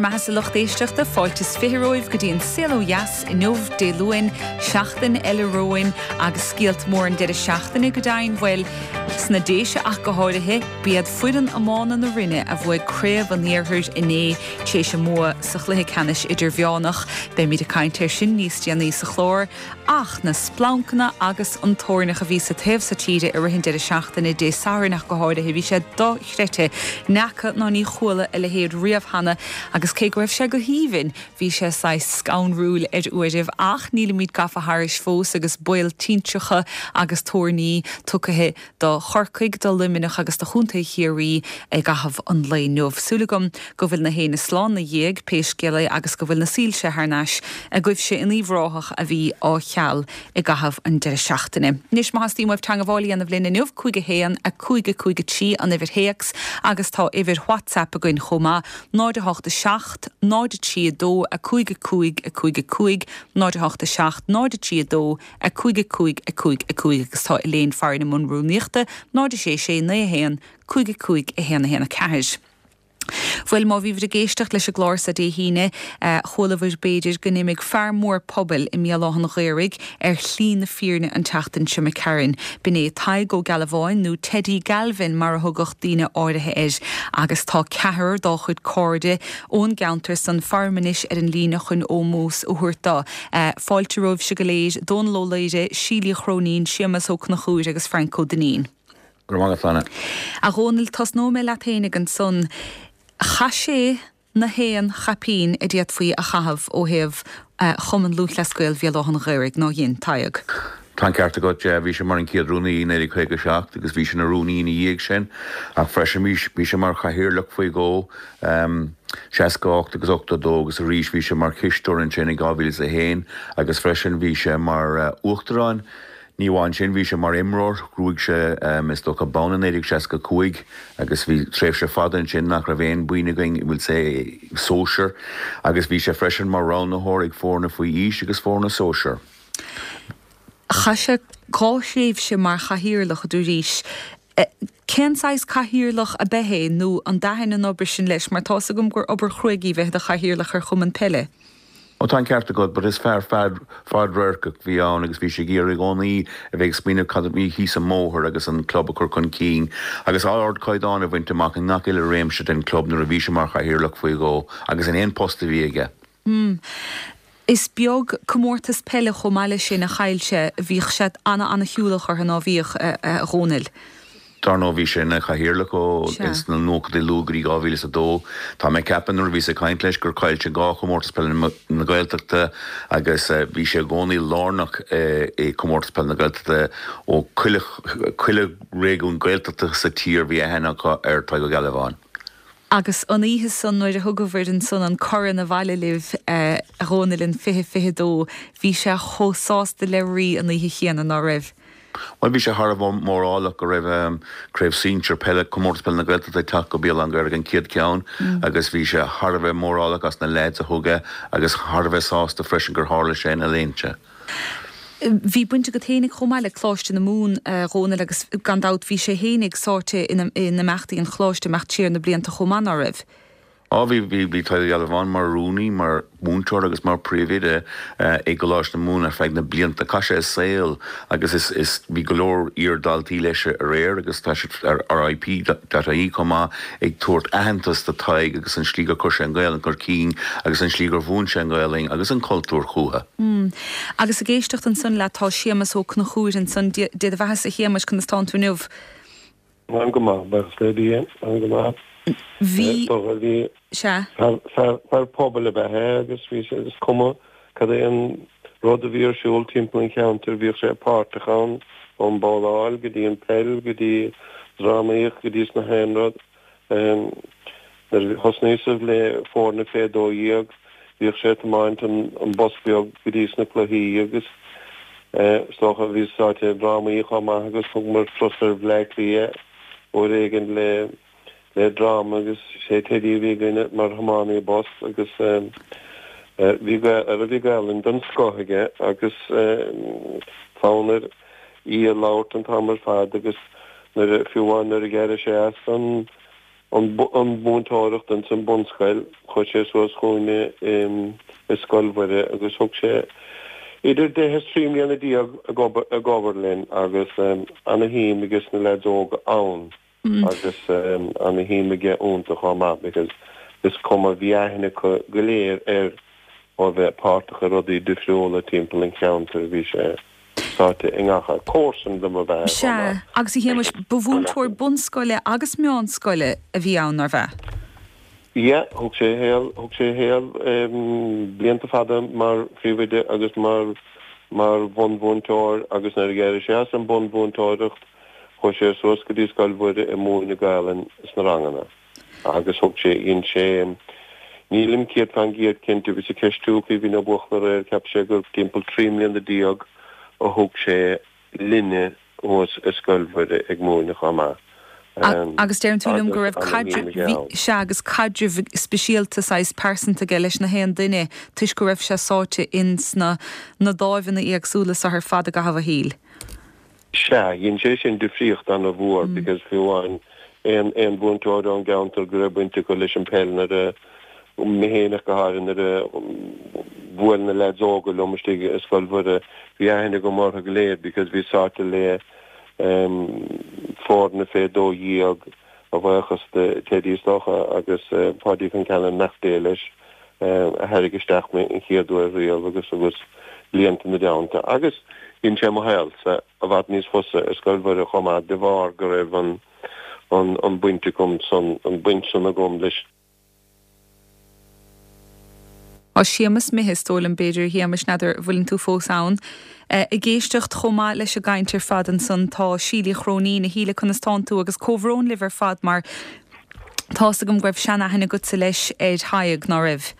bhur mbeathasa lucht éisteachta, fáilte is 20 romhaibh go dtí an Saol Ó Dheas inniu, Dé Luain, seachtain eile romhainn agus scéalta móra an deireadh seachtaine go deimhin, bhuel, sna Déise ach go háirithe, b'iad foireann iomána na Rinne a bhuaigh Craobh an Iarthair inné tar éis a mbua sa chluiche ceannais idirmheánach. Beimid ag caint air sin níos déanaí sa chlár. Ach na splancanna agus an toirneach a bhí sa taobh so tíre i rith an deireadh seachtaine, Dé Sathairn ach go háirithe, bhí sé dochreidte. N'fheaca ná ní chuala a leithéid riamh cheana agus cé go raibh sé go haoibhinn, bhí sé saghas scanrúil ar uairibh. Ach nílimid gafa thairis fós agus baol tintreacha agus toirní tugtha do Chorcaigh, do Luimneach agus do Chontae Chiarraí i gcaitheamh an lae inniu. Súil agam go bhfuil na héinne slán 'na dhiaidh, pé scéal é, agus go bhfuil na soilse thar n-ais agaibhse in Uíbh Ráthach a bhí á cheal i gcaitheamh an deireadh seachtaine. Anois, má theastaíonn uaibh teangabháil a dhéanamh linn inniu, 5 1 5 5 3 an uimhir théacs agus tá uimhir WhatsApp againn chomh maith, 0 8 7 0 3 2 5 5 5 5 0 8 7 0 3 2 5 5 5 5 agus tá Elaine farainn i mbun rúnaíochta, 0 6 6 9 1 5 5 1 1 4. Bhuel, má bhíobhair ag éisteacht leis an gclár so Dé hAoine, chualabhair b'fhéidir go n-imigh fear mór pobail i mBéal Átha'n Ghaorthaidh ar shlí na fírinne an tseachtain seo imigh tharainn. B'in é Tadhg Ó Gealbháin, nó Teddy Galvin mar a thugadh daoine áirithe air, agus tá ceathrar dá chuid cairde ón gceantar san faram anois ar an líne chun ómós a thabhairt dó. Fáilte romhaibhse go léir, Dónal Ó Laoire, Síle Uí Chróinín, Séamas Ó Conchúir agus Frainc Ó Duinnín. Go raibh maith agat, Flana. A Dhónaill, tosnóidh mé leat fhéinig ansan. Chaith sé na haon chaipín a d'fhéadfaí a chaitheamh ó thaobh Chumann Lúthchleas Gael Bhéal Átha'n Ghaorthaidh, nár dhein, Tadhg? Tá an ceart agat, yeah. Bhí sé mar an chéad rúnaí i 1957 agus bhí sé ina rúnaí ina dhiaidh sin ach freisin bhí sé mar chathaoirleach faoi dhó. 68 agus 82 agus arís bhí sé mar chisteoir ansin i 2001 agus freisin bhí sé mar uachtarán. Ní amháin sin, bhí sé mar imreoir, ghnóthaigh sé is dócha bonn i 1965 agus bhí tréimhse fada ansin nach raibh aon boinn againn, we'll say, sóisear agus bhí sé freisin mar roghnaitheoir ag foirne faoi aois agus foirne sóisear. Chaith sé dhá thréimhse mar chathaoirleach, a dúraís. Cén saghas cathaoirleach ab ea é nó an dtaithin an obair sin leis mar tá's agam gur obair chruaidh í bheith i do chathaoirleach ar chumann peile. Ó tá an ceart agat, but is fear fadradharcach a bhí ann agus bhí sé ag iarraidh i gcónaí a bheith ag smaoineamh cad a bhí thíos an mbóthar agus an club a chur chun cinn agus ardchaighdeán a bhaint amach i ngach uile réimse den chlub nuair a bhí sé mar chathaoirleach faoi dhó agus in aon post a bhí aige. Is beag comórtas peile chomh maith leis sin a chaill sé. Bhíodh sé ana-ana-shiúlach orthu, ná bhíodh, a Dhónaill? Dar ndóigh bhí sé ina chathaoirleach ó sna nóchaidí luath go dtí 2002. Tá mé ag ceapadh nuair a bhíos ag caint leis gur chaill sé dhá chomórtas peile na Gaeltachta agus bhí sé i gcónaí lárnach i comórtas peile na Gaeltachta ó chuile chuile réigiún Gaeltachta sa tír bhí aithne acu ar Tadhg Ó Gealbháin. Agus an oíche san nuair a thugabhair ansan an corn abhaile libh, a Dhónaill, in 2022, bhí sé chomh sásta le rí an oíche chéanna, ná raibh? Bhuel, bhí sé thar a bheith mórálach go raibh Craobh Sinsir Peile, Comórtas Peile na Gaeltachta ag teacht go Béal Átha'n Ghaorthaidh an chéad cheann agus bhí sé thar a bheith mórálach as na leaids a thug é agus thar a bheith sásta freisin gur tharla sé ina léinte. Bhí baint agat fhéinig chomh maith le Coláiste na Mumhan, a Dhónaill, agus gan dabht bhí sé fhéinig sáite in imeachtaí an Choláiste imeacht siar na blianta chomh maith, ná raibh? Á bhí, bhí, bhí Tadhg Ó Gealbháin mar rúnaí, mar mhúinteoir agus mar phríomhoide i gColáiste na Mumhan ar feadh na blianta. Chaith sé a saol agus is, is, bhí go leor iar-dhaltaí leis aréir agus tá siad ar RIP.ie chomh maith ag tabhairt aitheantas do Tadhg agus an slí gur chuir sé an Ghaelainn chun cinn agus an slí gur mhúin sé an Ghaelainn agus an cultúr chúthu. Agus ag éisteacht ansan leat tá Séamas Ó Conchúir ansan. Dé do bheathasa a Shéamais, conas tánn tú inniu? Táim go maith, buíochas le Dia, táim go maith. Bhí, Bhí, sea. Fear, fear pobail ab ea é agus bhí sé, is cuma cad é an rud a bhí ar siúl timpeall an cheantair, bhíodh sé páirteach ann, ón mbabhláil go dtí an peil go dtí drámaíocht go dtí sna haon rud. Nuair a thosnaíos le foirne fé 12, bhíodh sé ag tiomáint an bus beag go dtí sna cluichí agus is dócha bhí sáite i ndrámaí chomh maith agus thugamar turas ar Bhleá Cliath uair éigin le le dráma agus sé Teddy a bhí againn mar thiománaí bus agus bhí bhí Gaelainn den scoth aige agus fonn air í a labhairt an t-am ar fad agus nuair a, fiú amháin nuair a d'éirigh sé as an. an mhúinteoireacht ins an bunscoil, chuaigh sé suas chugainne i Scoil Mhuire agus thug sé idir deich is 13 mbliana ag obair linn agus ana-shuim aige sna leaids óga ann agus ana-shuim aige iontu chomh maith because is cuma, bhí aithne acu go léir air ó bheith páirteach i rudaí difriúla timpeall an cheantair, bhí sé. sáite i ngach áit. Comharsan dom ab ea é chomh Sea, maith. agus a Shéamais, ba mhúinteoir bunscoile agus meánscoile a bhí ann, nárbh ea? Yeah, thug sé a shaol, thug sé a shaol blianta fada mar phríomhoide agus mar, mar bhunmhúinteoir agus nuair a d'éirigh sé as an bunmhúinteoireacht chuaigh sé suas go dtí Scoil Mhuire ag múineadh Gaelainn sna ranganna. Agus thug sé, dhein sé, nílim 100% cinnte, bhíos ag ceistiú Caoimhín Ó Buachalla aréir, cheap sé gur timpeall 13 mbliana a thug sé linne thuas i Scoil Mhuire ag múineadh chomh maith. Agus deireann tú liom go raibh caidreamh, bhí, sea, agus caidreamh speisialta, saghas pearsanta aige leis na haon duine toisc go raibh sé sáite ins na, na dáimheanna éagsúla so ar fad i gcaitheamh a shaoil. Sea, dhein sé sin difríocht ana-mhór because fiú amháin aon aon mhúinteoir ón gceantar go raibh baint acu leis an peil nuair a, mé féin ach go háirithe, nuair a bhuail na leaids óga liom istigh i Scoil Mhuire, bhí aithne agam orthu go léir because bhí sáite le foirne fé 12 a bhuíochas do Teddy is dócha agus Páidí Concannon, beannacht Dé leis, a thairrig isteach mé an chéad uair riamh agus agus blianta ina dteannta. Agus dhein sé mo shaolsa i bhfad níos fusa i Scoil Mhuire chomh maith de bharr go raibh an an an baint agam san an baint san agam leis Tá Séamus imithe, is dóigh liom, b'fhéidir, a Shéamais, n'fheadar an bhfuileann tú fós ann. Ag éisteacht chomh maith leis an gcaint ar fad ansan tá Síle Uí Chróinín. A Shíle, conas tánn tú? Agus comhbhrón libh ar fad mar tá's agam go raibh sean-aithne agatsa leis ar Thadhg, ná raibh?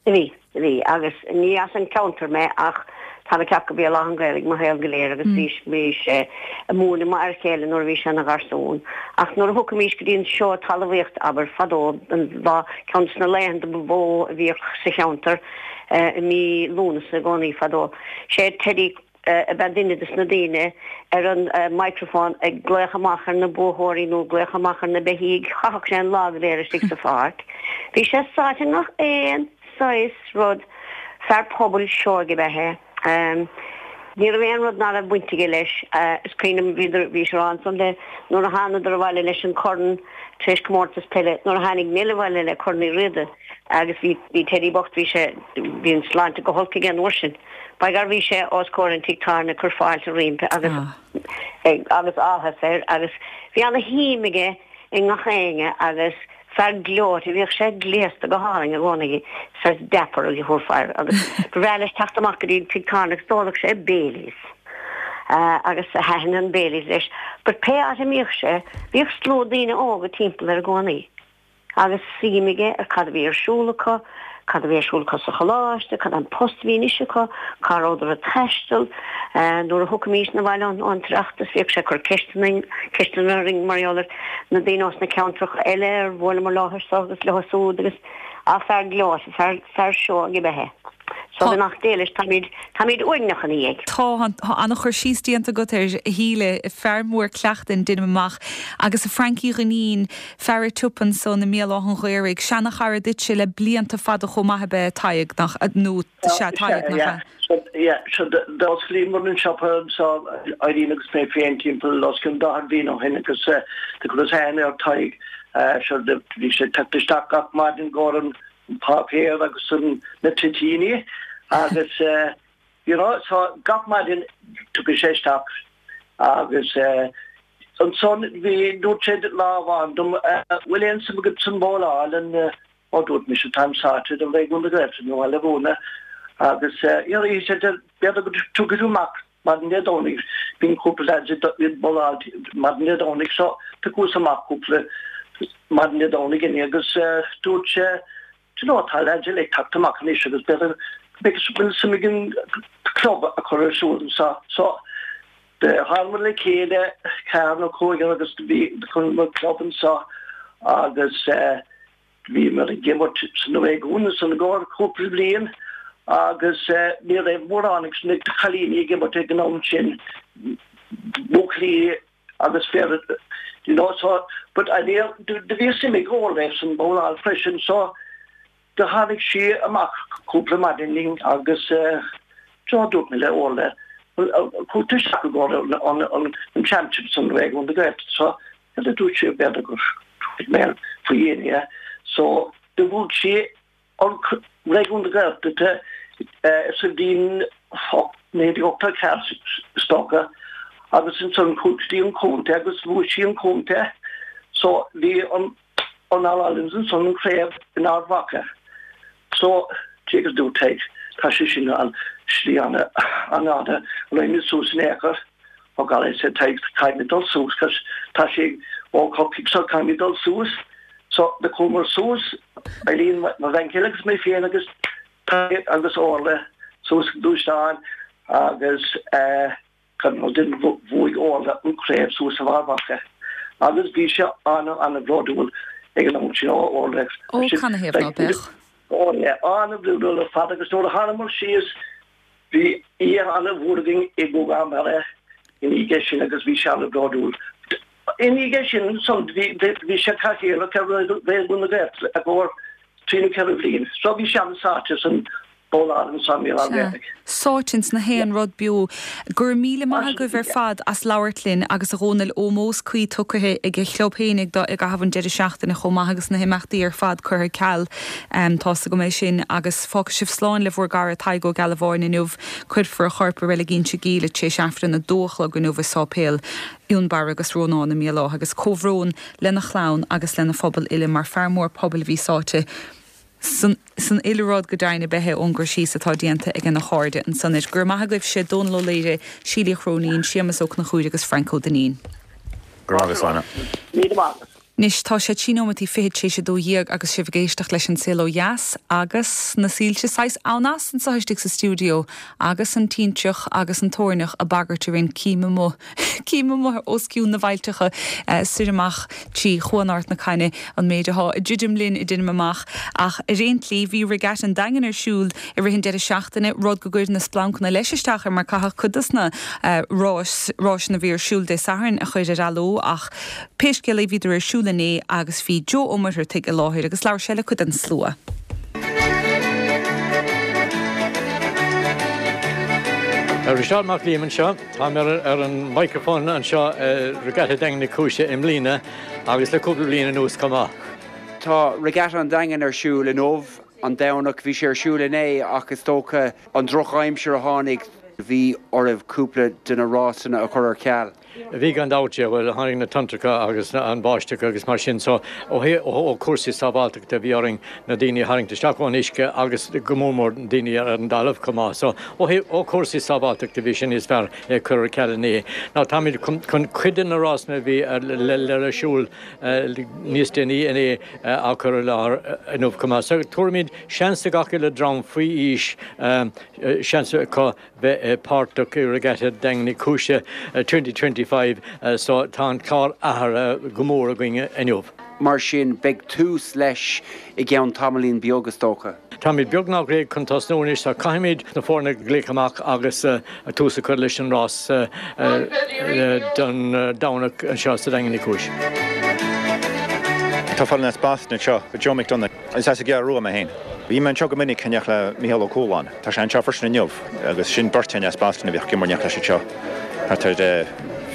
Bhí, bhí, agus ní as an ceantar mé ach tá mé ag ceapadh go Béal Átha an Ghaorthaidh mo shaol go léir agus bhí, bhí sé ag múineadh mo fhear chéile nuair a bhí sé ina gharsún. Ach nuair a thiocfaimís go dtí an seó talmhaíochta, abair, fadó, an lá, ceann de na laethanta ba mhó a bhíodh sa cheantar i mí Lúnasa i gcónaí fadó, sé Teddy ab ea duine de na daoine ar an microphone ag glaoch amach ar na buathóirí nó ag glaoch amach ar na beithígh. Chaitheadh sé an lá go léir istigh sa pháirc. Bhí sé sáite i ngach aon saghas rud. Fear pobail seoigh ab ea é. Ní raibh aon rud ná raibh baint aige leis. Is cuimhin liom, bhíodar, bhí sé a rá ansan le, nuair a thánadar abhaile leis an corn tar éis comórtas peile, nuair a tháinig Neil abhaile le Corn Uí Riada agus bhí, bhí Teddy bocht, bhí sé, bhí an sláinte go holc aige an uair sin. By gar bhí sé os comhair an tigh tábhairne ag cur fáilte roimpi agus agus áthas air agus bhí ana shuim aige i ngach éinne agus fear gleoite bhíodh sé gléasta go hálainn i gcónaí saghas dapper a thabharfá air agus ba bhreá leis teacht amach go dtí an tigh tábhairne agus d'óladh sé Baileys agus thaitin an Baileys leis but pé áit a mbíodh sé bhíodh slua daoine óga timpeall air i gcónaí. agus suim aige ar cad a bhí ar siúl acu, cad a bhí ar siúl acu sa choláiste, cad é an post a bhí anois acu, cá rabhadar ag taisteal. Nuair a thiocfaimís 'na bhaile ón tOireachtas bhíodh sé ag cur ceisteanna, ceisteanna orainn mar gheall ar na daoine ós na ceantracha eile ar bhuaileamar leo seo agus leo súd agus ah fear gleoite, fear, fear seoigh ab ea é. So beannacht Dé leis, táimid, táimid uaigneach ina dhiaidh. Tá, tá an-chur síos déanta agat air, a Shíle. Fear mór cleachtain, deinim amach. Agus a Francie Dhuinnín, fear a' tsiopa ansan i mBéal Átha'n Ghaorthaidh, seana-chara duitse le blianta fada chomh maith ab ea Tadhg, nach, nó, sea, Tadhg, nach ea? Sea, yeah, so d'osclaíomar an siopa anso, Irene agus mé féin, timpeall os cionn 40 bliain ó shin agus do chuireas aithne ar Tadhg. So bhí sé ag teacht isteach gach maidin i gcomhair an páipéar agus na toitíní agus you know so gach maidin tiocfaidh sé isteach agus ansan bhí dúirt sé lá amháin dom bhfuil aon suim agat san bhowláil an ó dúirt mise táim sáite do Réigiún na Gaeltachta nó le mhúineadh agus you know he said b'fhéidir go dtiocfaidh tú amach maidin Dé Domhnaigh bíonn cúpla lads ag bowláil maidin Dé Domhnaigh so thiocfas amach cúpla maidin Dé Domhnaigh inné agus dúirt sé do you know tá lads eile ag teacht amach anois agus b'fhéidir go bhfuil suim againn club a chur ar siúl anseo so tháingamar le chéile ceathrar nó cúigear agus bhí chuireamar club anseo agus Bhíomar ag imirt san réigiún ansan i gcomhair cúpla bliain agus ní raibh mórán ag na cailíní ag imirt ag an am sin, buachaillí agus fir. You know so but I do do bhí suim ag Orla san bhabhláil freisin so do tháinig sí amach cúpla maidin linn agus eh so dúirt mé le Orla well chuaigh tú isteach i gcomhair an an an championship san Réigiún na Gaeltachta so cad a dúirt sí b'fhéidir gur thuig mé faoi dhéine so do bhuaigh sí an Réigiún na Gaeltachta sa bhliain 1984 is dócha agus ansan chuaigh sí an contae agus bhuaigh sí an contae so bhí an an All Irelands ansan an chraobh in Ard Mhacha so cé go dúirt Tadhg tá sé sin an slí an-fhada raghaimid suas in aon chor Oh God I said Tadhg caithfimid dul suas cos tá sé ó Chorcaigh so caithfimid dul suas so do chuamar suas Eileen mo bhean chéile agus mé féin agus Tadhg agus Orla suas sa ghluaisteán agus eh gan rud din bhuaigh Orla an craobh suas in Ard Mhacha agus bhí sé ana ana bhródúil ag an am sin ó Orla Ó canathaobh ná beadh? Ó yeah ana bhródúil ar fad agus nuair a thánamar síos Bhí oíche an-mhór againn i nGúgán Barra ina dhiaidh sin agus bhí sé an-bhródúil. Ina dhiaidh sin ansan bhí sé cathaoirleach ar Réigiún na Gaeltachta i gcomhair trí nó 4 bhliain. So bhí sé an-sáite san bhabhláil ansan Mícheál Sea, Bhreathnaigh. sáite ins na haon rud beo. Go raibh míle maith agaibh ar fad as labhairt linn agus a Dhónaill ómós cuí tugtha ag a chlub féinig dó i gcaitheamh an deireadh seachtaine chomh maith agus na himeachtaí ar fad curtha ar ceal. Tá's agam é sin agus fágfaidh sibh slán le bhur gcara Tadhg Ó Gealbháin inniu. Cuirfear a chorp i Reilig Inse Gall tar éis Aifreann 2 a chlog inniu i Sáipéal Fhionnbarra agus Rónáin i mBéal Átha agus comhbhrón lena chlann agus lena phobal uile mar fear mór pobail a bhí sáite san san uile rud go deimhin ab ea é ón gcur síos atá déanta ag ina chairde ansan air. Go raibh maith agaibhse, Dónal Ó Laoire, Síle Uí Chróinín, Séamus Ó Conchúir agus Frainc Ó Duinnín. Go raibh maith agat, Sláine. Míle maith agat. Anois, tá sé trí nóimeataí fichead tar éis a 12 agus sibh ag éisteacht leis An Saol Ó Dheas agus na soilse saghas ann as anseo istigh sa stiúideo agus an tintreach agus an toirneach ag bagairt orainn cím amuigh, cím amuigh os cionn na bhfaillteacha soir amach trí Chuan Ard na Caithne an méid athá ag druidim linn deinim amach. Ach ar aon tslí, bhí Regatta an Daingin ar siúl i rith an deireadh seachtaine, rud go gcuir na splancanna leis isteach air mar caitheadh cuid dos na ráis, ráiseanna a bhí ar siúl Dé Sathairn a chur ar athló ach Pé scéal é bhíodar ar siúl inné agus bhí Joe Ó Muircheartaigh i láthair agus labhair sé le cuid den slua. Risteárd Mac Liam anseo. Táim ar an microphone anseo i Regatta Daingean Uí Chúise i mbliana agus le cúpla bliain anuas chomh maith. Tá Regatta an Daingin ar siúl inniu, an Domhnach. Bhí sé ar siúl inné ach is dócha an drochaimsir a tháinig, bhí oraibh cúpla de na rásanna a chur ar ceal. Bhí gan dabht, yeah, bhuel tháinig na tonntracha agus an bháisteach agus mar sin so ó thaobh ó chúrsaí sábháilteachta bhí orainn na daoine a tharraingt isteach ón uisce agus go mór mór na daoine ar an dtalamh chomh maith so ó thaobh ó chúrsaí sábháilteachta bhí sé níos fearr é a chur ar ceal inné. Now táimid chun chun cuid de na rásanna a bhí ar le le ar siúl níos déanaí inné á chur i láthair inniu chomh maith so tabharfaimid seans do gach uile dream faoi aois seans acu bheith páirteach i Regatta Daingean Uí Chúise 2025 so tá an clár athraithe go mór againn inniu. Mar sin, beidh tús leis i gceann tamaillín beag, is dócha. Táimid beagnach réidh chun tosnú anois so caithfimid na foirne a ghlaoch amach agus tús a chur leis an rás don Domhnach anseo sa Daingean Uí Chúis. Tá fáil as Boston anseo, Joe McDonagh. Is as an gCeathrú Rua mé féin. Bhí mé anseo go minic in éineacht le Mícheál Ó Cualáin. Tá sé anseo freisin inniu agus sin beirt againn as Boston a bhíodh ag imirt in éineacht leis anseo thart ar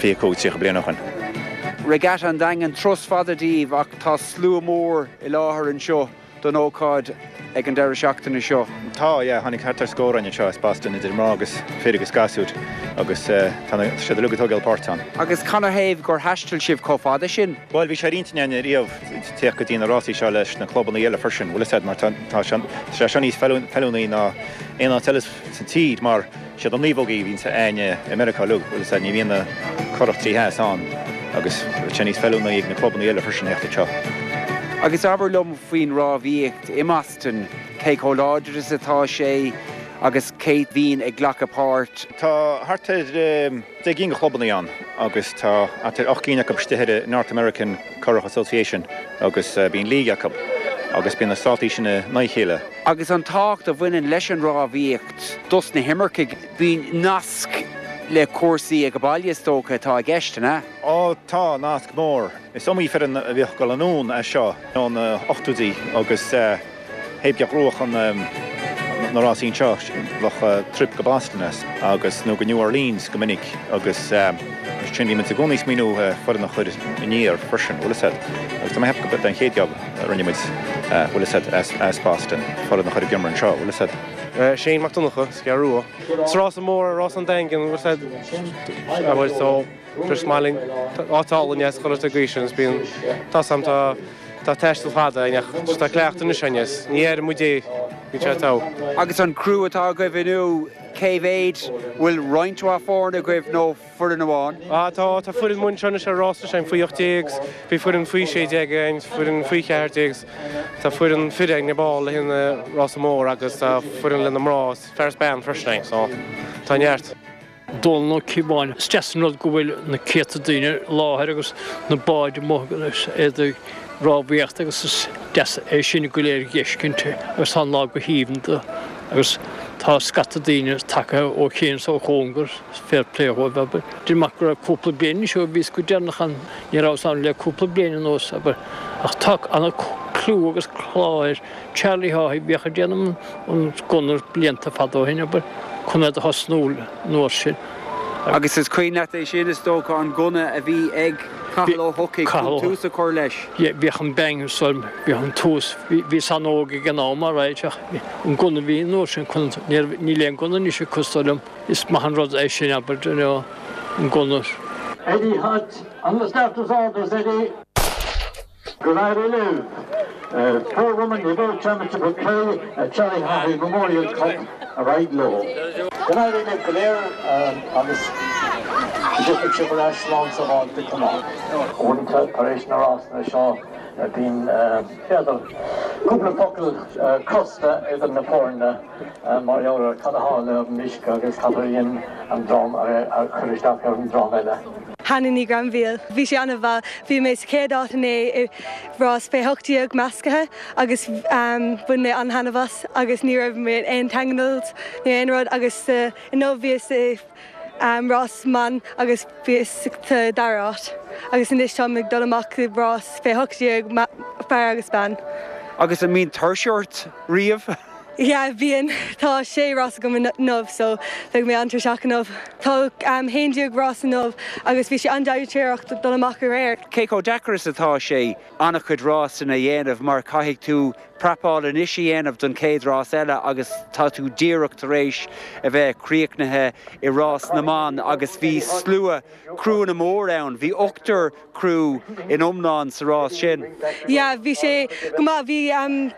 25, 30 bliain ó shin. Regatta an Daingin, turas fada daoibh ach tá slua mór i láthair anseo don ócáid ag an deireadh seachtaine seo. Tá, yeah, tháinig thart ar scór againn anseo as Boston idir mná agus fir agus gasúir agus tá siad uilig ag tógáil páirt ann. Agus canathaobh gur thaistil sibh chomh fada sin? Bhuel, bhí sé ar intinn againn riamh teacht go dtí na rásaí seo leis na clubanna eile freisin, bhfuil 'fhios a'd, mar tá sé seo níos feiliúnaí ná aon áit eile sa tír mar siad na naomhógaí a bhíonns a'ainne i Meiriceá uilig, bhfuil 'fhios a'd, ní bhíonn na curach trí theas ann agus tá sé níos feiliúnaí ag na clubanna eile freisin theacht anseo. Agus abair liom faoin rámhaíocht i mBoston, cé chomh láidir is atá sé agus cé bhíonn ag glacadh páirt? Tá thart ar. 10 gcinn de chlubanna ann agus tá thart ar 8 gcinn acu istigh ar an North American Currach Association agus bíonn league acu agus bíonn na státaí sin in aghaidh a chéile. Agus an tábhacht a bhaineann leis an rámhaíocht dos na himircigh, bíonn nasc. le cúrsaí ag baile is dócha atá i gceist, an ea? Á, tá, nasc mór. Is iomaí foireann a bhíodh ag dul anonn as seo ó na hochtóidí agus thaobh de ghnóthach na rásaí anseo, bheadh trip go Boston as agus, nó go New Orleans go minic agus mar sin bhí muid i gcónaí ag smaoineamh foireann a chur aniar freisin, bhfuil fhios a'd. Agus tá mé ag ceapadh gurb é an chéad job a rinne muid, bhfuil fhios a'd, as Boston, foireann a chur ag imirt anseo, bhfuil fhios a'd. Shane Mac Donncha, as an gCeathrú Rua. Is rása mór é rás an Daingin, bhfuil fhios a'd, bhuel so just maith linn áit álainn é is chuile gcaoi sin is bíonn, tá 's a'm tá tá taisteal fada againn ach just tá cleachtadh anois againn is ní aireoidh muid é, bíonn sé togha. Agus an criú atá agaibh inniu, cé mhéid, bhfuil roinnt mhaith foirne agaibh nó foireann amháin? Ah tá, tá foireann amuigh anseo anois ar rás anois againn faoi 18 's bhí foireann faoi 16 againn, foireann faoi 14 's tá foireann fir againn ar ball le haghaidh an rása mór agus tá foireann le na mná 's fear is bean freisin againn so tá neart. Dónal Ó Cíobháin, Is deas an rud go bhfuil na céadta daoine i láthair agus na báid amuigh agus iad ag rámhaíocht agus is deas é sin go léir a dh'fheiscint agus tá an lá go haoibhinn do agus tá scata daoine tagtha ó chéin is ó chóngar, fair play dhóibh, abair. Deirim amach go raibh cúpla bliain anois ó bhíos go deireanach ann, ní rabhas ann le cúpla bliain anuas, abair, ach tá ana clú agus clár air. Charlie Haughey, bhíodh ag déanamh an gunna blianta fada ó shin, abair, chun é do thosnú an uair sin. Agus is cuimhin leat é sin, is dócha, an gunna a bhí ag Cathal Ó hEochaidh chun tús a chur leis. Yeah, bhíodh an bang so, bhíodh an tús, bhíos an-óg ag an am, alright, ach an gunna a bhí an uair sin chun, níl aon gunna anois acu, is dóigh liom, is maith an rud é sin, abair, you know, an gunna. Eddie Hutch on the starter's orders, Eddie. Go n-éirí libh! Four Women Evo Championship of Play at Charlie Haughey Memorial Cup ar aghaidh leo. Go n-éirí libh go léir agus go dtiocfaidh sibh ar ais slán sábháilte chomh maith. Uaireanta tar éis na rásanna seo bíonn, b'fhéidir, cúpla focal crosta idir na foirne mar gheall ar cad a tharla ar an uisce agus cad a dhein an dream a chuir isteach ar an dream eile. Hannah Ní Ghrainbhíl. Bhí sé an-mhaith. Bhí mé sa chéad áit inné i rás fé 18 meascaithe agus bhain mé an-thaitneamh as agus ní raibh mé in aon tangles nó aon rud agus inniu bhíos i rás mban agus bhíos sa dara háit agus anois táim ag dul amach i rás fé 18 fear agus bean. Agus an mbíonn tuirse ort riamh? Yeah, bíonn. Tá sé rás agam inniu so beidh mé an-tuirseach inniu. Tá 11 rás inniu agus bhí sé an-dainséarach dul amach aréir. Cé chomh deacair is atá sé an-chuid rásanna a dhéanamh mar caithfidh tú prapáil anois a dhéanamh don chéad rás eile agus tá tú díreach tar éis a bheith críochnaithe i rás na mban agus bhí slua criúnna mór ann, bhí ochtar criú in iomlán sa rás sin. Yeah, bhí sé go maith. Bhí.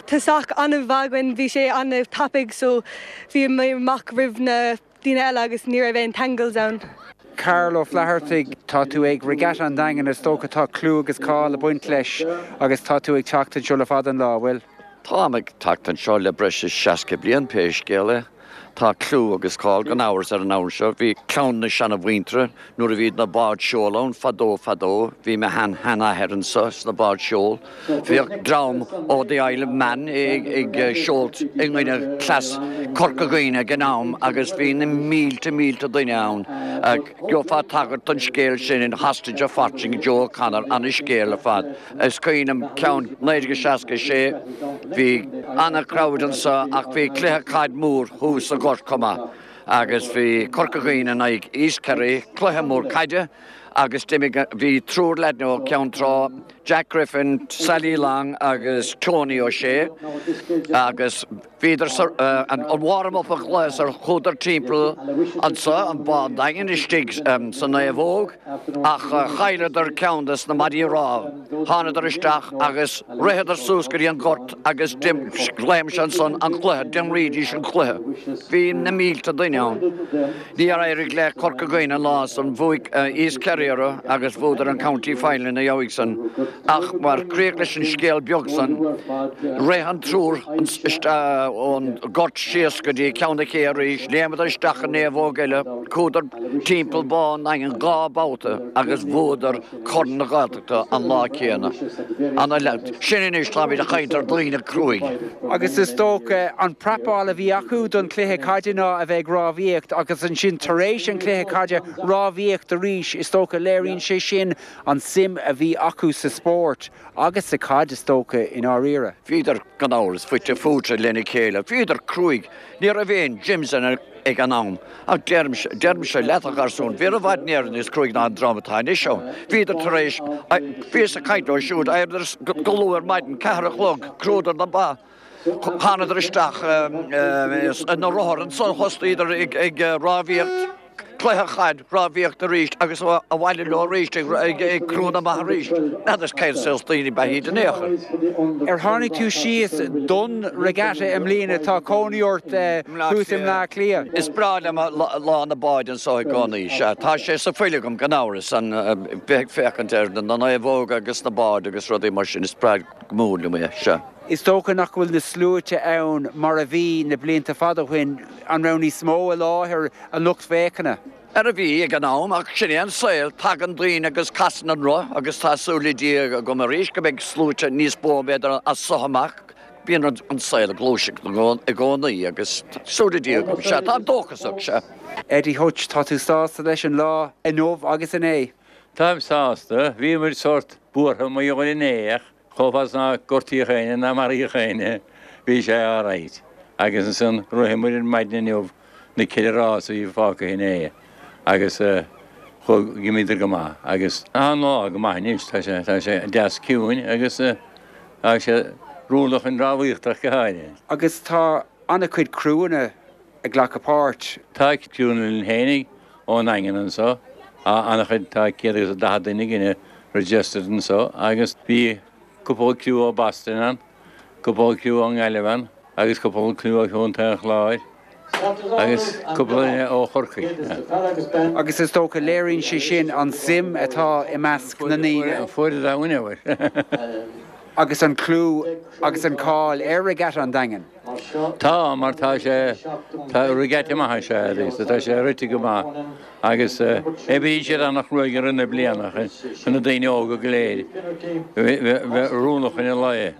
Tosach an-mhaith againn, bhí sé an-tapaidh so bhí mé amach roimh na daoine eile agus ní raibh aon tangles ann. Karl Ó Flathartaigh, tá tú ag Regatta an Daingin, is dócha tá clú agus cáil ag baint leis agus tá tú ag teacht anseo le fada an lá, bhfuil? Táim ag teacht anseo le breis is 60 bliain pé scéal é. Tá clú agus cáil gan amhras ar an abhainn seo. Bhí clann na seana-mhuintire nuair a bhíod na báid seoil ann fadó fadó. Bhí mo shean-sheanathair anso sna báid seoil. Bhíodh dream ó The Isle of Man ag seolt i gcoinne cleas Corca Dhuibhne ag an am agus bhí na mílte mílte duine ann. Gheofá tagairt don scéal sin in Hostage of Fortune Joe O'Connor, ana-scéal ar fad. Is cuimhin liom ceann 1966, bhí ana-crowd anso ach bhí cluiche caid mór thuas sa ghort chomh maith agus bhí Corca Dhuibhne in aghaidh East Kerry, cluiche mór caide agus d'imigh, bhí triúr leaideanna ó Cheann Trá, Jack Griffin, Sally Long agus Tony O'Shea agus Bhíodar sa an warm up a ghléas ar chuadar timpeall anso an Bá an Daingin istigh sa naomhóg ach chailleadar ceann des na maidí rámha. Thánadar isteach agus ritheadar suas go dtí an gort agus léim sé ansan an cluiche, d'imrídís an cluiche. Bhí na mílte duine ann. Níor éirigh le Corca Dhuibhne an lá san, bhuaigh East Kerry. riaradh agus bhuadar an County Final ina dhiaidh san. Ach mar chríoch leis an scéal beag san, rith an triúr ón ngort síos go dtí Ceann na Cé arís, léimeadar isteach i naomhóg eile, chuadar timpeall Bá an Daingin 2 babhta agus bhuadar Corn na Gaeltachta an lá céanna. Sin anois, táimid ag caint ar daoine cruaidh. Agus is dócha, an prapáil a bhí acu don chluiche caide ná a bheith ag rámhaíocht agus ansin tar éis an chluiche caide, rámhaíocht arís. Is dócha, léiríonn sé sin an suim a bhí acu sa spórt agus sa chaid, is dócha, i ndáiríre. Bhíodar, gan amhras, fite fuaite lena chéile. Bhíodar cruaidh. Ní raibh aon gyms ag an am. Ach deirimse, deirimse leat, a gharsúin, bhíodar i bhfad Éireann níos cruaidh ná an dream atá anois ann. Bhíodar tar éis, bhíos ag caint leo siúd, d'éiríodar go luath ar maidin, ceathair a chlog, chrúdar na ba, thánadar isteach ina rothair, ansan thosnaíodar ag rámhaíocht. Cluiche chaid, rámhaíocht arís agus abhaile leo arís ag crú na mba arís. N'fheadar cén saghas daoine ab ea iad in aon chor. Ar tháinig tú síos don regatta i mbliana? Tá cónaí ort thuas i mBleá Cliath. Is breá liom lá na báid anso i gcónaí. Sea, tá sé sa fuil agam gan amhras, an bheith ag féachaint ar na naomhóga agus na báid agus rudaí mar sin. Is breá go mór liom é, sea. Is dócha nach bhfuil na sluaite ann mar a bhí na blianta fada ó shin. An raibh níos mó i láthair, an lucht féachana? Ara bhí ag an am, ach sin é an saol, tagann daoine agus casann an roth agus tá súil le Dia agam arís go mbeidh sluaite níos mó b'fhéidir as so amach. Bíonn an saol ag gluaiseacht i gcónaí agus tá súil le Dia agam, sea, táim dóchasach, sea. Eddie Hutch, tá tú sásta leis an lá inniu agus inné? Táim sásta, bhí muid sórt buartha mar gheall ar inné ach Chomh fada is nár gortaíodh éinne ná maraíodh éinne, bhí sé alright. Agus ansan rith muid ar maidin inniu na ceithre rás a bhí fágtha inné agus chuaigh, d'imíodar go maith agus tá an lá go maith anois, tá sé, tá sé deas ciúin agus tá sé oiriúnach chun rámhaíochta ach go háirithe. Agus tá an-chuid criúanna ag glacadh páirt. Tá criúnna linn fhéinig ón nDaingean anso, an-chuid, tá 140 duine againne registered anso agus bhí cúpla criú ó Boston ann, cúpla criú ón nGaillimh ann agus cúpla criú ó Chontae an Chláir agus cúpla duine ó Chorcaigh. Agus is dócha, léiríonn sé sin an suim atá i measc na ndaoine. Fuaire domhain é. Agus an clú agus an cáil ar Regatta an Daingin. Tá, mar tá sé, tá regatta maith is ea é, tá sé rite go maith agus oibríonn siad an-chruaidh i rith na bliana chun na daoine óga go léir bheith oiriúnach ina lae.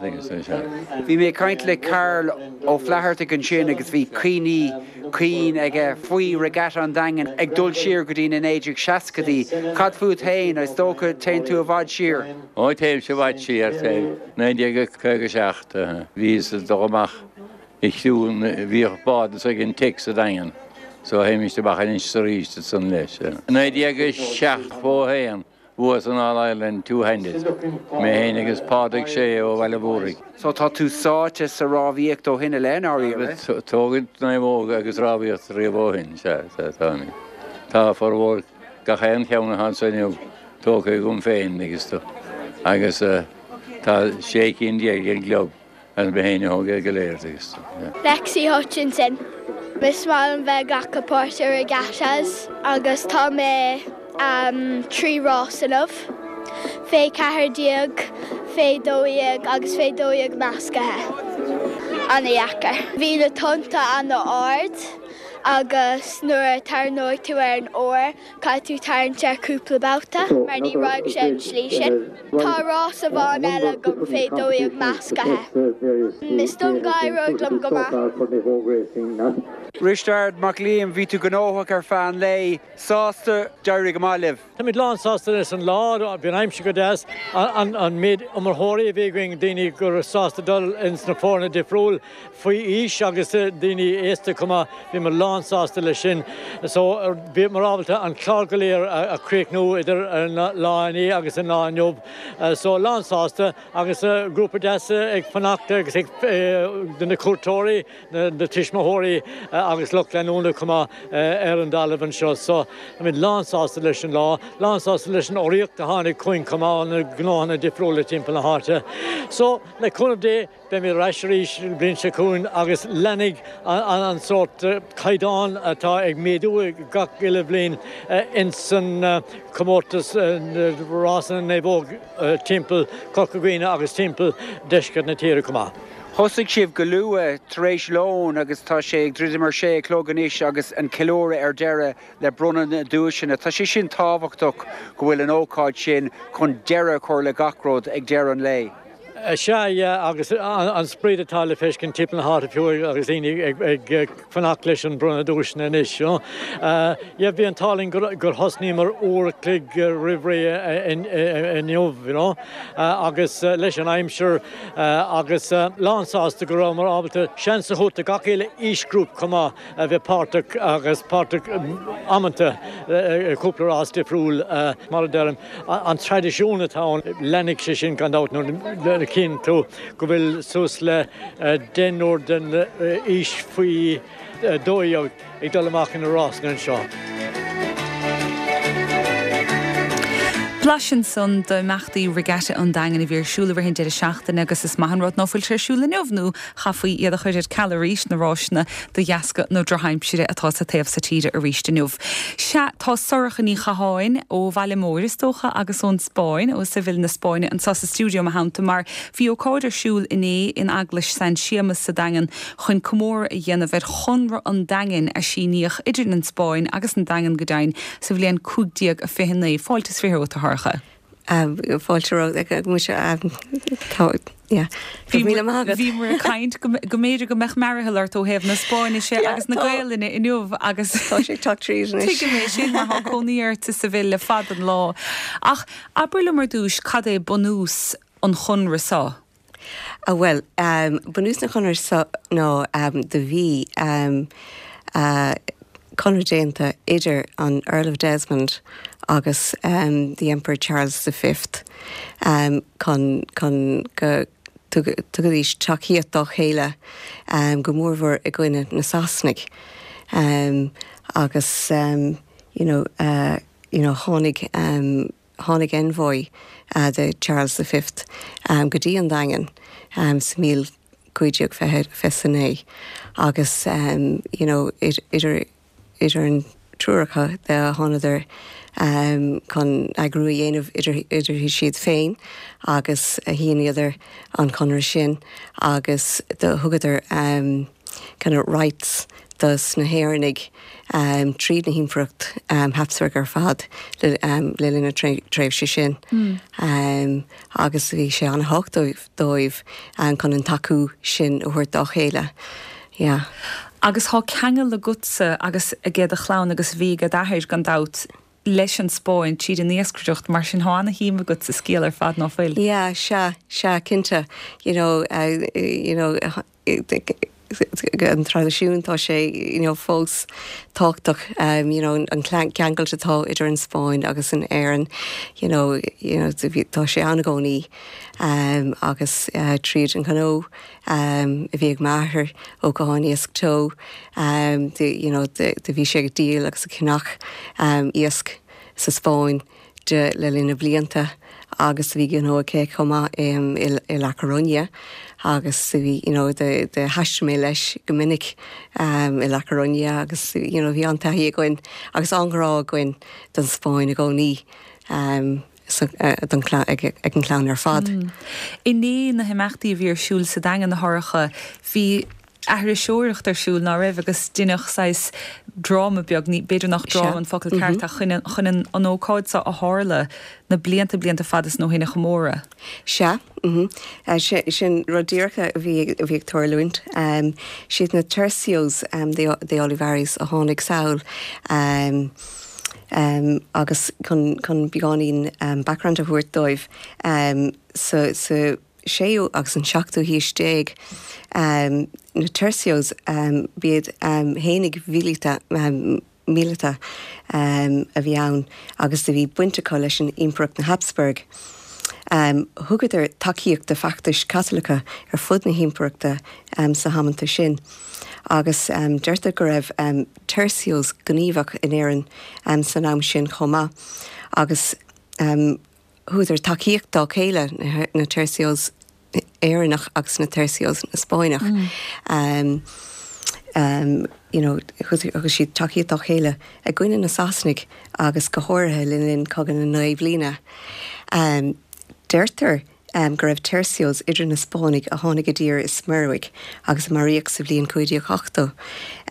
Bhí mé ag caint le Karl Ó Flathartaigh ansin agus bhí cuimhní cinn aige faoi Regatta an Daingin ag dul siar go dtí na 1960idí. Cad fút féin? Is dócha téann tú i bhfad siar? Ó téimse i bhfad siar, téim. 1957, bhíos ag dul amach i chriú, bhíodh bád anso ag an Tech sa Daingean, so théimist amach anois is arís ansan leis. 1971, bhuas an All Ireland Two Handed, mé féin agus Pádraig Sé ó Bhaile Mhúraigh. So tá tú sáite sa rámhaíocht ó shin i leith, i ndáiríre? Tógaint naomhóga agus rámhaíocht riamh ó shin, sea, táimid. Tá formhór gach aon cheann atá anso inniu tógtha agam féin agus agus tá 16 cinn ag an gclub agus mé féin a thóg iad go léir agus. Lexi Hutchinson. Is maith liom bheith ag glacadh páirt i regattas agus tá mé 3 rás inniu, fé 14, fé 12 agus fé 12 meascaithe. Ana-dheacair. Bhí na tonnta ana-ard agus nuair a tarraingeoidh tú ar an oar, Caithfidh tú tarraingt air cúpla babhta mar ní raghaidh sé an slí sin. Tá rás amháin eile agam fé 12 meascaithe. Is dóigh liom go éireoidh liom go maith. Risteard Mac Liam, bhí tú gnóthach ar feadh an lae. Sásta? D'éirigh go maith libh. Táimid lán sásta leis an lá, bhí an aimsir go deas, an méid iomaitheoirí a bhí againn, daoine go raibh sásta dul ins na foirne difriúil faoi aois agus daoine aosta chomh maith, bhíomar lán sásta leis sin. So bhíomar ábalta an clár go léir a chríochnú idir an lá inné agus an lá inniu. So lán sásta agus grúpa deas ag fanacht agus ag de na cuairteoirí. na tuismitheoirí agus lucht leanúna chomh maith ar an dtalamh anseo. So, táimid lán-sásta leis an lá, lán-sásta leis an urraíocht a tháinig chugainn chomh maith ó na gnóthanna difriúla timpeall na háite. So, le cúnamh Dé, beimid ar ais arís an bhliain seo chugainn agus leanfaidh an sórt caighdeán. caighdeán atá ag méadú gach uile bhliain ins an comórtas rásanna naomhóg timpeall Corca Dhuibhne agus timpeall deisceart na tíre chomh maith. Thosaigh sibh go luath tar éis lóin agus tá sé ag druidim ar sé a chlog anois agus an ceiliúradh ar deireadh le bronnadh na nduaiseanna. Tá sé sin tábhachtach go bhfuil an ócáid sin chun deireadh a chur le gach rud ag deireadh an lae. Sea, yeah, agus an sprid atá le feiscint timpeall na háite fiú agus daoine ag fanacht leis an bronnadh duaiseanna anois, you know. Yeah, bhí an t-ádh linn gur thosnaíomar uair a chloig roimh ré inniu, you know, agus leis an aimsir agus lán sásta go rabhamar ábalta seans a thabhairt do gach uile aoisghrúpa chomh maith a bheith páirteach agus páirteach amanta i gcúpla rás difriúil, mar a deirim. An traidisiún atá ann, leanfaidh sé sin gan dabht nuair a chíonn tú go bhfuil suas le deichniúr den aois faoi 12 ag dul amach ina rásanna anseo. Blaiseadh ansan d'imeachtaí Regatta an Daingin a bhí ar siúl i rith an deireadh seachtaine agus is maith an rud ná fuil sé ar siúl inniu nó Chaithfí iad a chur ar ceal arís, na ráiseanna, de dheasca na drochaimsire atá sa taobh so tíre arís inniu. Sea, tá Sorcha Ní Chatháin, ó Bhaile Móir is dócha, agus ón Spáinn, ó Seville na Spáinne, anseo sa stiúideo i mo theannta mar bhí ócáid ar siúl inné in Eaglais San Séamas sa Daingean chun comóradh a dhéanamh ar Chonradh an Daingin a síníodh idir an Spáinn agus an Daingean go deimhin sa bhliain 1529. Fáilte is 20 romhat, a Shorcha. Fáilte romhat, muise, tá, yeah. Go raibh míle maith agat. Bhíomar ag caint go mb'fhéidir go mbeadh mearathall ort ó thaobh na Spáinnise agus na Gaelainne inniu agus Tá sé ag teacht tríd anois. Tuigim é sin mar tá cónaí ort i Seville le fada an lá. Ach abair liom ar dtús cad é bunús an chonradh seo? Bhuel, bunús na chonradh seo ná do bhí conradh déanta idir an Earl of Desmond agus the Emperor Charles the Fifth chun chun go dtugaidís tacaíocht dá chéile go mórmhór i gcoinne na Sasanaigh agus you know you know tháinig Tháinig envoy de Charles the Fifth go dtí an Daingean sa míl 1529 agus you know idir idir an triúr acu de thánadar chun eagrú a dhéanamh idir idir siad féin agus shíníodar an conradh sin agus do thugadar kind of rights dos na hÉireannaigh tríd na hImpireacht Habsburg ar fad le linn na tréimhse sin agus bhí sé an-thábhachtach dóibh chun an tacú sin a thabhairt dá chéile. Yeah. Agus thá ceangal agatsa agus age do chlann agus bhí age d'athair gan dabht leis an Spáinn tríd an iascaireacht, mar sin thá ana-shuim agat sa scéal ar fad, ná fuil? Yeah, sea, sea, cinnte. You know, you know, an traidisiún tá sé you know fós tábhachtach you know an ceangailt atá idir an Spáinn agus an Éirinn you know you know tá sé ann i gcónaí agus tríd an ghnó a bhí ag m'athair Ó Catháin Iasc Teo you know do bhí sé ag díol agus ag ceannach iasc sa Spáinn de le linn na blianta agus bhí gnó aici chomh maith i La Coruña agus bhí you know do thaistil mé leis go minic i La Coruña agus you know bhí an-taithí againn agus an-ghrá againn don Spáinn i gcónaí don ag an chlann ar fad. Inné na himeachtaí a bhí ar siúl sa Daingean a Shorcha, bhí aithriseoireacht ar siúl, ná raibh, agus deineadh saghas dráma beag, ní, b'fhéidir nach dráma an focal ceart ach chun, chun an, an ócáid seo a tharla na blianta, blianta fada san ó shin a chomóradh. Sea, mhm. Sin rud díreach a bhí, a bhí ag tarlúint. Siad na Tercios de, de Olivares a tháinig sall agus chun, chun beagáinín background a thabhairt dóibh, sa, sa, séú agus an seachtú haois déag, na tercios, b'iad fhéinig mhíleata, míleata a bhí ann agus do bhí baint acu leis an Impireacht na Habsburg. Thugadar tacaíocht do feachtais Chaitliceacha ar fud na hImpireachta sna hamanta sin agus deirtear go raibh tercios gníomhach in Éirinn san am sin chomh maith agus Thugadar tacaíocht dá chéile, na tercios Éireannach agus na tercios na Spáinneach. you know, thug siad tacaíocht dá chéile i gcoinne na Sasanaigh agus go háirithe le linn Cogadh na Naoi Mbliana. Deirtear go raibh tercios idir na Spáinnigh a tháinig i dtír i smuireoig agus a maraíodh sa bhliain 1580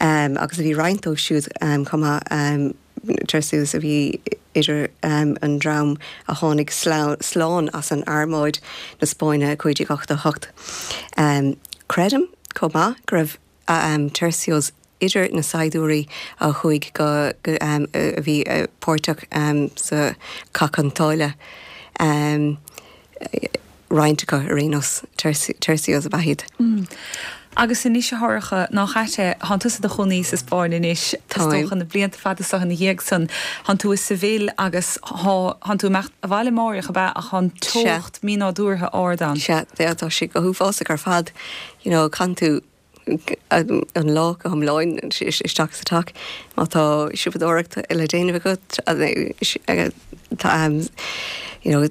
agus a bhí roinnt dóibh siúd chomh maith, tercios a bhí idir an dream a tháinig slán as an armáid na Spáinne i 1588. Creidim chomh maith go raibh tercios idir na saighdiúirí a chuaigh go, a bhí páirteach sa Chath Chionn tSáile, roinnt acu ar aon nós, tercios ab ea iad. Agus anois a Shorcha, nach ait é, thánn tusa i do chónaí sa Spáinn anois, is dócha na blianta fada so ina dhiaidh san, thánn tú i Seville agus thá, thánn tú ag imeacht abhaile amáireach ab ea ach thá an teocht mínádúrtha ard ann. Sea, tá sé go huafásach ar fad, you know, caitheann tú an lá go hiomlán isteach sa teach. Má tá siopadóireacht le déanamh agat, tá you know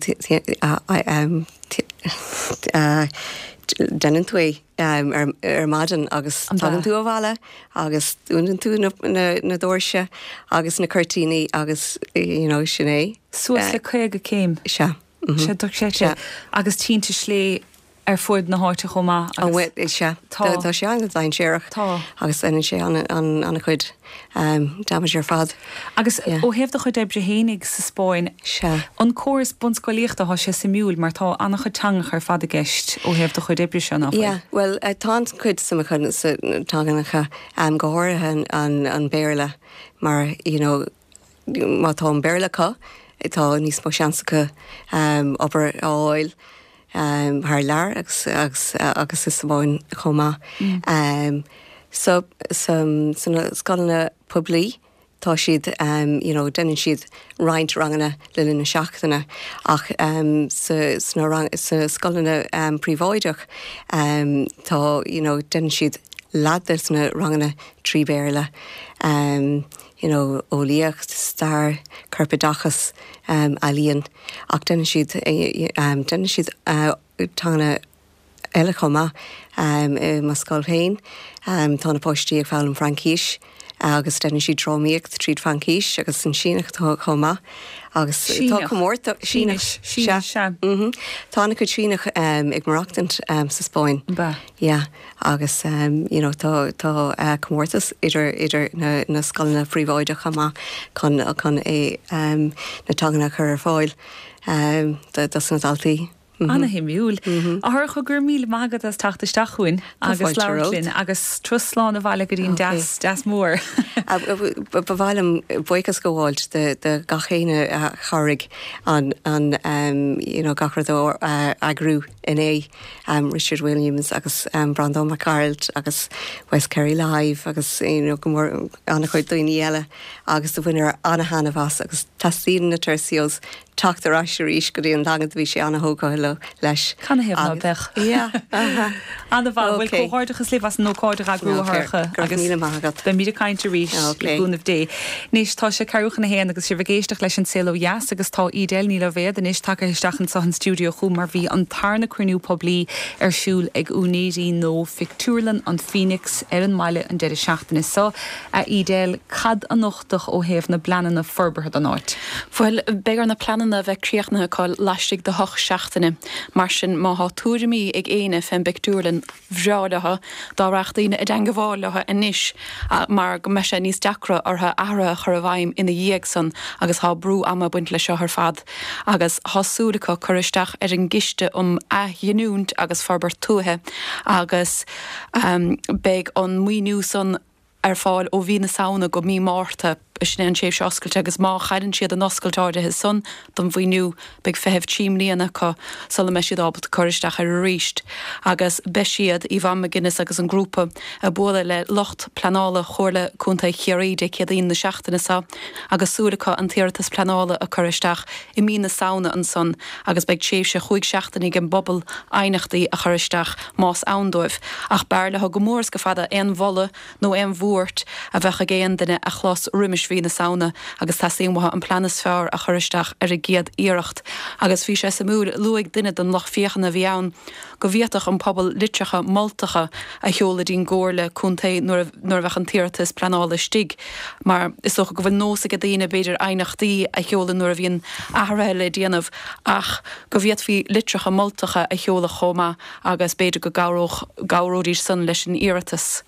déanann tú é ar maidin agus tagann tú abhaile agus dúnann tú na doirse agus na cuirtíní agus you know sin é. Suas le 50 céim. Sea. Sea, dochreidte. Agus tinte slé ar fud na háite chomh maith agus. Bhuel, sea. Tá. Tá sé an-dainséarach. Tá. Agus déanann sé an-chuid damage ar fad. Agus ó thaobh do chuid oibre fhéinig sa Spáinn, Sea. an córas bunscolaíochta, tá sé suimiúil mar tá an-chuid teangacha ar fad i gceist ó thaobh do chuid oibre seo, nach bhfuil? Yeah, bhuel, tá an-chuid suim acu sna teangacha, go háirithe an Béarla mar, you know, má tá an Béarla acu, tá níos mó seans acu obair a fháil thar lear agus agus agus sa Spáinn chomh maith. So sna scoileanna poiblí tá siad you know déanann siad roinnt ranganna le linn na seachtaine ach sa sna rang sa scoileanna príobháideach tá you know déanann siad leath de na ranganna trí Bhéarla. you know, eolaíocht, stair, corpoideachas, ealaíon, ach déanann siad, déanann siad teanga eile chomh maith. I mo scoil féin, tá na páistí ag foghlaim Fraincís agus déanann siad drámaíocht tríd Fraincis agus an Síneach chomh maith agus tá comórtas, Síneach, Síneach, sea. Tá an-chuid Síneach ag maireachtaint sa Spáinn. Yeah. Agus you know tá tá comórtas idir idir na na scoileanna príobháideacha chomh maith chun chun é na teanganna a chur ar fáil do dos na daltaí. Ana-shuimiúil. A Shorcha, go raibh míle maith agat as teacht isteach chugainn agus labhairt linn agus turas slán abhaile go dtí an deas, deas mór. Ba mhaith liom buíochas a ghabháilt do do gach éinne a chabhraigh an an you know gach rud a eagrú inné. Richard Williams agus Breandán Mac Gearailt agus West Kerry Live agus you know go mór an-chuid daoine eile agus do bhaineadar an-thaitneamh as agus teastaíonn na Tercios teacht ar ais arís go dtí an Daingean do bhí sé an-thógtha leo leis. Canathaobh ná beadh? Yeah, uh-huh. An-mhaith. Bhuel, comhghairdeachas libh as an ócáid a eagrú, a Shorcha. Go raibh míle maith agat. Beimid ag caint arís, le cúnamh Dé. Anois, tá sé ceathrú chun a haon agus sibh ag éisteacht leis An Saol Ó Dheas agus tá Edel Ní Loibhéad anois tagtha isteach anseo an stiúideo chugam mar bhí an tarna cruinniú poiblí ar siúl ag úinéirí nua Phictiúrlann an Phoenix ar an mbaile an deireadh seachtaine seo. A Edel, cad a nochtadh ó thaobh na bpleananna forbartha don áit? Bhuel, beidh ar na pleananna a bheith críochnaithe acu laistigh de hocht seachtaine. Mar sin, má thá tuairimí ag éinne fén bpictiúrlann, bhreá leo dá rachadh daoine i dteangabháil leo anois mar go mbeidh sé níos deacra orthu athruithe a chur i bhfeidhm ina dhiaidh san agus thá brú ama ag baint leis seo ar fad agus thá súil acu cur isteach ar an gCiste um Athghiniúint agus Forbairt Tuaithe agus beidh an maoiniú san ar fáil ó mhí na Samhna go mí Márta, sin é an tréimhse oscailte agus má chailleann siad an oscailt áirithe san don mhaoiniú, beidh feitheamh 3 mbliana acu sula mbeidh siad ábalta cur isteach air arís. Agus beidh siad, Yvonne McGuinness agus an grúpa, ag bualadh le lucht pleanála Chomhairle Contae Chiarraí Dé Céadaoin na seachtaine seo agus súil acu an t-iarratas pleanála a cur isteach i mí na Samhna ansan agus beidh tréimhse chúig seachtaine ag an bpobal aighneachtaí a chur isteach más ann dóibh. Ach b'fhearr leo go mór is go fada aon mholadh nó aon bhuairt. buairt a bheadh ag aon duine a chlos roimis mhí na Samhna agus teastaíonn uathu an plean is fearr a chur isteach ar an gcéad iarracht. Agus bhí sé suimiúil, luaigh duine den lucht féachana a bhí ann go bhféadfadh an pobal litreacha moltacha a sheoladh dtí'n gComhairle Contae nuair a bheadh an t-iarratas pleanála istigh mar is dócha go bhfuil nós ag daoine b'fhéidir aighneachtaí a sheoladh nuair a bhíonn athruithe le déanamh ach go bhféadfaí litreacha moltacha a sheoladh chomh maith agus b'fhéidir go gcabhródh, gcabhróidís san leis an iarratas.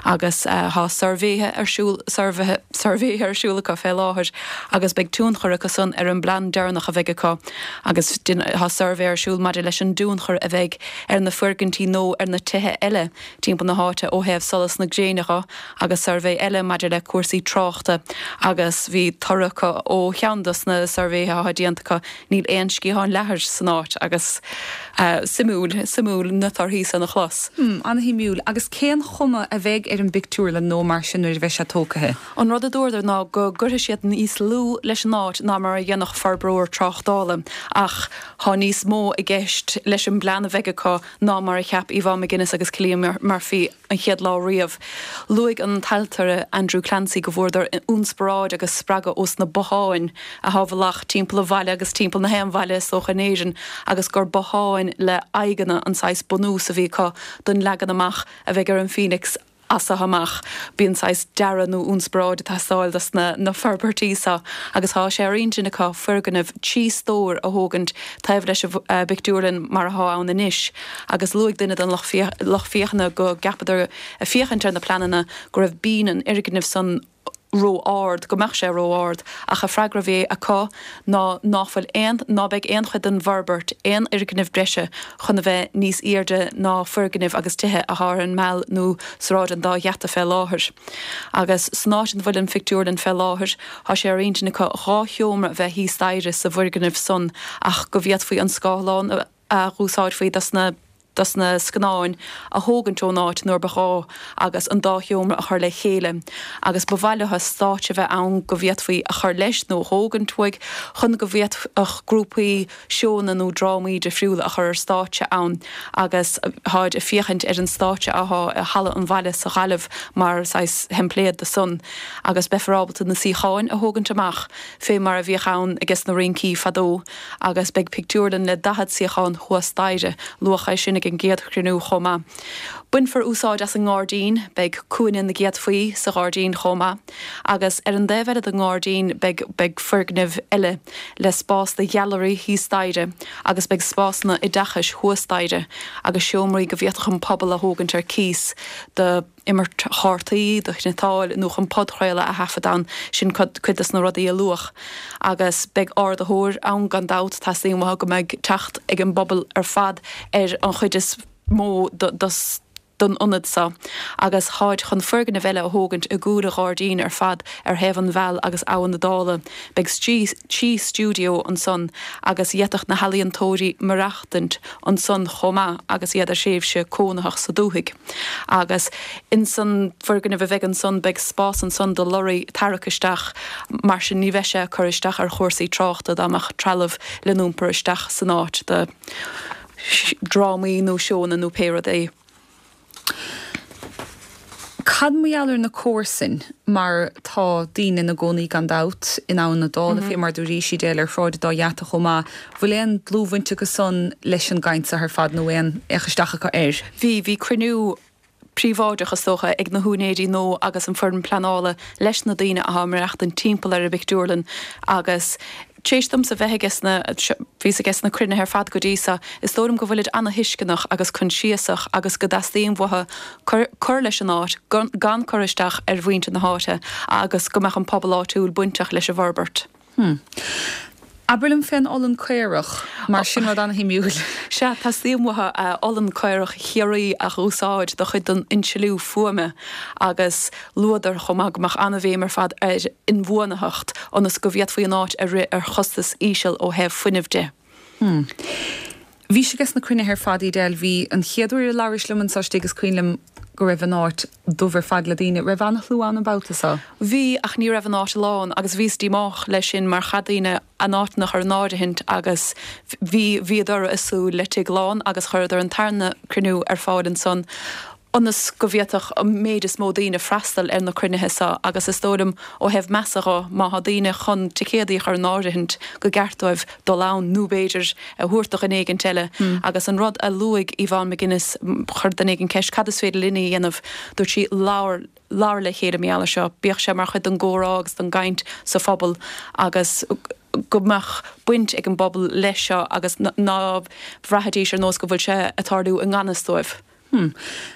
Agus tá suirbhéithe ar siúl, suirbhéithe, suirbhéithe ar siúl acu fé láthair agus beidh tionchar acu san ar an bplean deireanach a bheidh acu agus tá suirbhé ar siúl maidir leis an dtionchar a bheidh ar na foirgintí nó ar na tithe eile timpeall na háite ó thaobh solas na gréine dho agus suirbhé eile maidir le cúrsaí tráchta agus bhí toradh acu ó cheann dos na suirbhéithe atá déanta acu Níl aon sciathán leathair san áit agus suimiúil, suimiúil na torthaí san a chlos. Hmm, ana-shuimiúil. Agus cén chuma a bheidh ar an bpictiúrlann nó mar sin nuair a bheidh sé tógtha? An rud a dúradar ná go gcuirfidh siad níos lú leis an áit ná mar a dhéanfadh forbróir tráchtála ach tá níos mó i gceist leis an bplean a bheidh acu ná mar a cheap Yvonne McGuinness agus Cillian Murphy. an chéad lá riamh. Luaigh an t-ailtire Andrew Clancy go bhfuaireadar ionsparáid agus spreagadh ós na botháin athá i bhfolach timpeall an bhaile agus timpeall na haon bhaile is dócha in Éirinn agus gur botháin le aghaidheanna an saghas bunús a bhí acu don leagan amach a bheidh ar an Phoenix as seo amach. Bíonn saghas dearadh nó ionsparáid ag teastáil dos na forbairtí seo agus thá sé ar intinn acu foirgneamh 3 stór a thógaint taobh leis an bpictiúrlann mar athá ann anois. Agus luaigh duine den lucht féachana go gceapadar, ag féachaint ar na pleananna, go raibh binn an fhoirgnimh san ró-ard, go mbeadh sé ró-ard, ach an freagra a bhí acu ná ná fuil aon, ná beidh aon chuid den bhforbairt, aon fhoirgneamh breise chun a bheith níos aoirde ná foirgnimh agus tithe athá ar an Meal nó Sráid an Dá Gheata fé láthair. Agus san áit ina bhfuil an phictiúrlann fé láthair, tá sé ar intinn acu 2 sheomra a bheith thíos staighre sa bhfoirgneamh san ach go bhféadfaí an scáthlán a a dh'úsáidfí dos na dos na scannáin a thógaint ón áit nuair ba ghá agus an dá sheomra a chur le chéile agus ba mhaith leo stáitse a bheith ann go bhféadfaí a chur leis nó a thógaint uaidh chun go bhféadfadh grúpaí seónna nó drámaí difriúla a chur ar stáitse ann agus táid ag féachaint ar an stáitse athá i Halla an Bhaile sa Ghaillimh mar saghas theimpléad do san agus beifear ábalta na suíocháin a thógaint amach fé mar a bhíodh ann ages na rincí fadó. agus beidh pictiúrlann le 40 suíochán thuas staighre. Luadh é sin ag an gcéad chruinniú chomh maith. Bainfear úsáid as an ngairdín, beidh cúinne na gcéadfaí sa ghairdín chomh maith. Agus ar an dtaobh eile den ngairdín beidh beidh foirgneamh eile le spás do ghailearaí thíos staighre agus beidh spásanna oideachais thuas staighre agus seomraí go bhféadfadh an pobal a thógaint ar cíos do imirt chártaí, do chniotáil nó chun podchraoladh a thaifead ann, sin cuid dos na rudaí a luadh. Agus beidh ardaitheoir ann gan dabht, teastaíonn uathu go mbeidh teacht ag an bpobal ar fad ar an chuid is mó dos don ionad seo. Agus táid chun foirgneamh eile a thógaint i gcúl an ghairdín ar fad ar thaobh an Mheal agus Abha na Dála. Beidh trí stiúideo ansan agus d'fhéadfadh na healaíontóirí maireachtaint ansan chomh maith agus iad ar thréimhse cónaitheach sa dúthaigh. Agus ins an bhfoirgneamh a bheidh ansan beidh spás ansan do lorraí tarrac isteach, mar sin ní bheidh sé ag cur isteach ar chúrsaí tráchta dá mbeadh trealamh le n-iompar isteach san áit do dhrámaí nó seónna nó pé rud é. Cad mar gheall ar na comharsain, mar tá daoine ina gcónaí gan dabht in Abhainn na Dála, fé mar dúraís Edel ar Shráid an Dá Gheata chomh maith. Bhfuil aon dlúthbhaint acu san leis an gcaint seo ar fad nó aon fhéach isteach acu air? Bhí, bhí cruinniú príobháideach is dócha ag na húinéirí nua agus an foireann pleanála leis na daoine athá ag maireachtaint timpeall ar an bpictiúrlann agus Tar éis domsa bheith ages na, bhíos ages na cruinnithe ar fad go dtí so, is dóigh liom go bhfuilid ana-thuisceanach agus coinsiasach agus go dteastaíonn uathu cur, cur leis an áit gan, gan cur isteach ar mhuintir na háite agus go mbeadh an pobal áitiúil bainteach leis an bhforbairt. Hmm. Abair liom fén olann caorach, mar sin rud ana-shuimiúil. Sea, teastaíonn uathu olann caorach Chiarraí a dh'úsáid do chuid den insliú fuaime agus Luadar chomh maith go mbeadh an-bhéim ar fad ar inbhuanaitheacht ionas go bhféadfaí an áit a rith ar chostas íseal ó thaobh fuinnimh de. Hmm. Bhís ages na cruinnithe ar fad, Edel. Bhí an chéad uair a labhrais liom anso istigh is cuimhin liom go raibh an áit dubh ar fad le daoine. Raibh ana-shlua ann an babhta so? Bhí, ach ní raibh an áit lán agus bhíos díomách leis sin mar chaith daoine a n-áiteanna a chur in áirithint agus bhí, bhíodar ag súil le tigh lán agus chuireadar an tarna cruinniú ar fáil ansan. Ionas go bhféadfadh an méid is mó daoine freastal ar na cruinnithe seo agus is dóigh liom ó thaobh measa dho, má thá daoine chun ticéadaí a chur in áirithint go gceart dóibh dul ann nó b'fhéidir a thabhairt do dhuine éigint eile. Agus an rud a luaigh Yvonne McGuinness, chuir duine éigin ceist cad is féidir linne a dhéanamh, dúirt sí labhair, labhair le chéile mar gheall air seo, bíodh sé mar chuid den gcomhrá agus den gcaint sa phobal agus go mbeadh baint ag an bpobal leis seo agus ná bhraithfidís ar nós go bhfuil sé ag tarlú i ngan fhios dóibh. Hmm.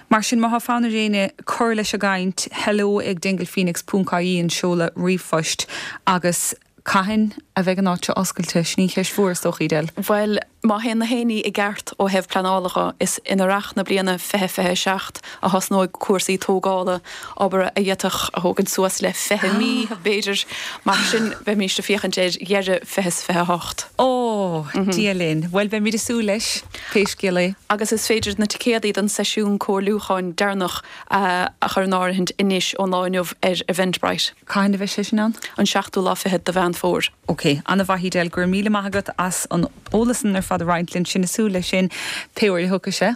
Mar sin, má thá fonn ar éinne cur leis an gcaint, hello ag dinglephoenix ponc ie an seoladh ríomhphoist agus cathain a bheidh an áit seo oscailte? Sin í an cheist mhór is dócha, Edel. Bhuel, má théann na haon ní i gceart ó thaobh pleanála dho, is in earrach na bliana 2027 a thosnóidh cúrsaí tógála, obair a d'fhéadfadh a thógaint suas le 20 mí, b'fhéidir. Mar sin, beimíst ag féachaint ar dheireadh 2028. Ó, Dia linn. Bhuel, beimid ag súil leis. Pé scéal é. Agus is féidir na ticéadaí don seisiún comhairliúcháin deireanach a chur in áirithint anois ón lá inniu ar Eventbrite. Cathain a bheidh sé sin ann? An seachtú lá fichead de Mheán Fómhair. Ok, an-mhaith Edel, go raibh míle maith agat as an eolas san ar fad a roinnt linn, sinn ag súil leis sin pé uair a thiocfaidh sé.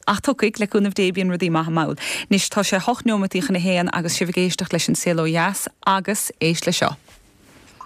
Ach tiocfaidh, le cúnamh Dé, bíonn rudaí maithe mall. Anois tá sé hocht neomataí chun a haon agus sibh ag éisteacht leis An Saol Ó Dheas agus éist le seo.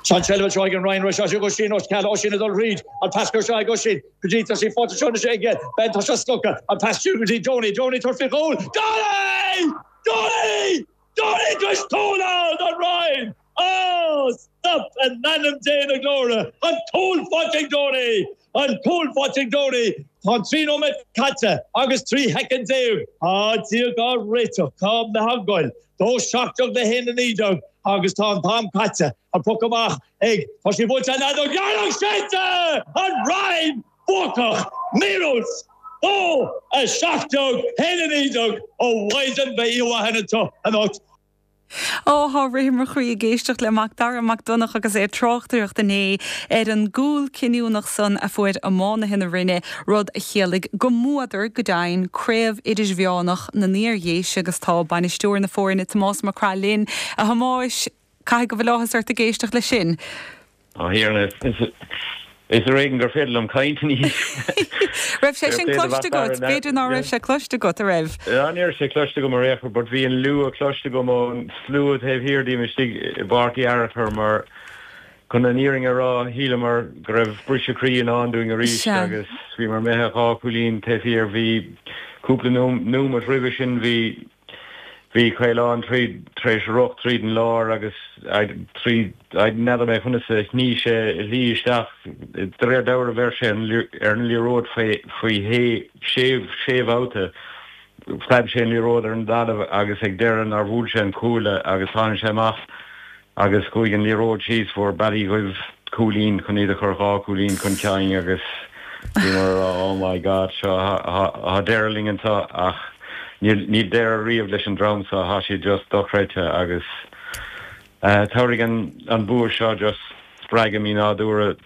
Tá an tseilbh anseo ag an Rinn seo ag Oisín Ó Ceallaigh, Oisín ag dul thríd, an pas curtha seo ag Oisín go dtí, tá sí faighte anseo anois aige, Ben, tá seo slogtha, an pas siar go dtí Donie, Donie tabhairt faoi chúl, Donie! Donie! Donie tar éis cúl a fháil don Rinn! Á, stop in ainm Dé na glóire! An cúl faighte ag Donie! An cúl faighte ag Donie! Tá an 3 nóiméad caite agus 13 shoicind. Tá Dia dhá réiteach, cá mbeifeá ag goil? 2 17 le 1 19 agus tá an t-am caite. An poc amach ag, tá sí buailte an fheadóg dheireanach séidte! An Rinn buacach! Míorúilt! 2 17 1 19 Ó mhaighdean beidh oíche mhaith againn anseo anocht. Ó, thá rith i mo chroí ag éisteacht le Mac Dara Mac Donncha agus é ag tráchtaireacht inné ar an gcúl cinniúnach san a fuair iománaithe na Rinne, rud a chiallaigh go mbuadar, go deimhin, Craobh Idirmheánach na nIar-Dhéise agus tá bainisteoir na foirne, Tomás Mac Craith linn. A Thomáis, caithfidh go bhfuil áthas ort ag éisteacht leis sin? A Thiarna, is ar éigean gur féidir liom caint anois. Raibh sé sin cloiste agat? B'fhéidir ná raibh sé cloiste agat, a raibh? Ní raibh sé cloiste agam ar aon chor, but bhí an liúgh cloiste agam ón slua taobh thiar díom istigh i bPáirc Uí Fhearchair mar, chun an fhírinne a rá, shíleamar go raibh briseadh croí i ndán dúinn arís agus bhíomar imithe dhá chúilín taobh thiar. Bhí cúpla nóimeat roimhe sin, bhí Bhí Caolán tríd, tar éis rith tríd an lár agus tríd, n'fheadar mé conas a shní sé a shlí isteach, de réir dealraimh bheir sé ar an liathróid faoi faoi shé, sé bhabhta, phreab sé an liathróid ar an dtalamh agus ag deireadh nár bhuail sé an cuaille agus tháinig sé amach Agus chuaigh an liathróid síos, fuair Baile Dhuibh cúilín chun iad a chur dhá chúilín chun cinn agus bhíomar ag rá oh my God seo, thá deireadh linn anseo ach níl, níl deireadh riamh leis an dream seo, thá siad just dochreidte agus tabharfaidh an, an bua seo just spreagadh mínádúrtha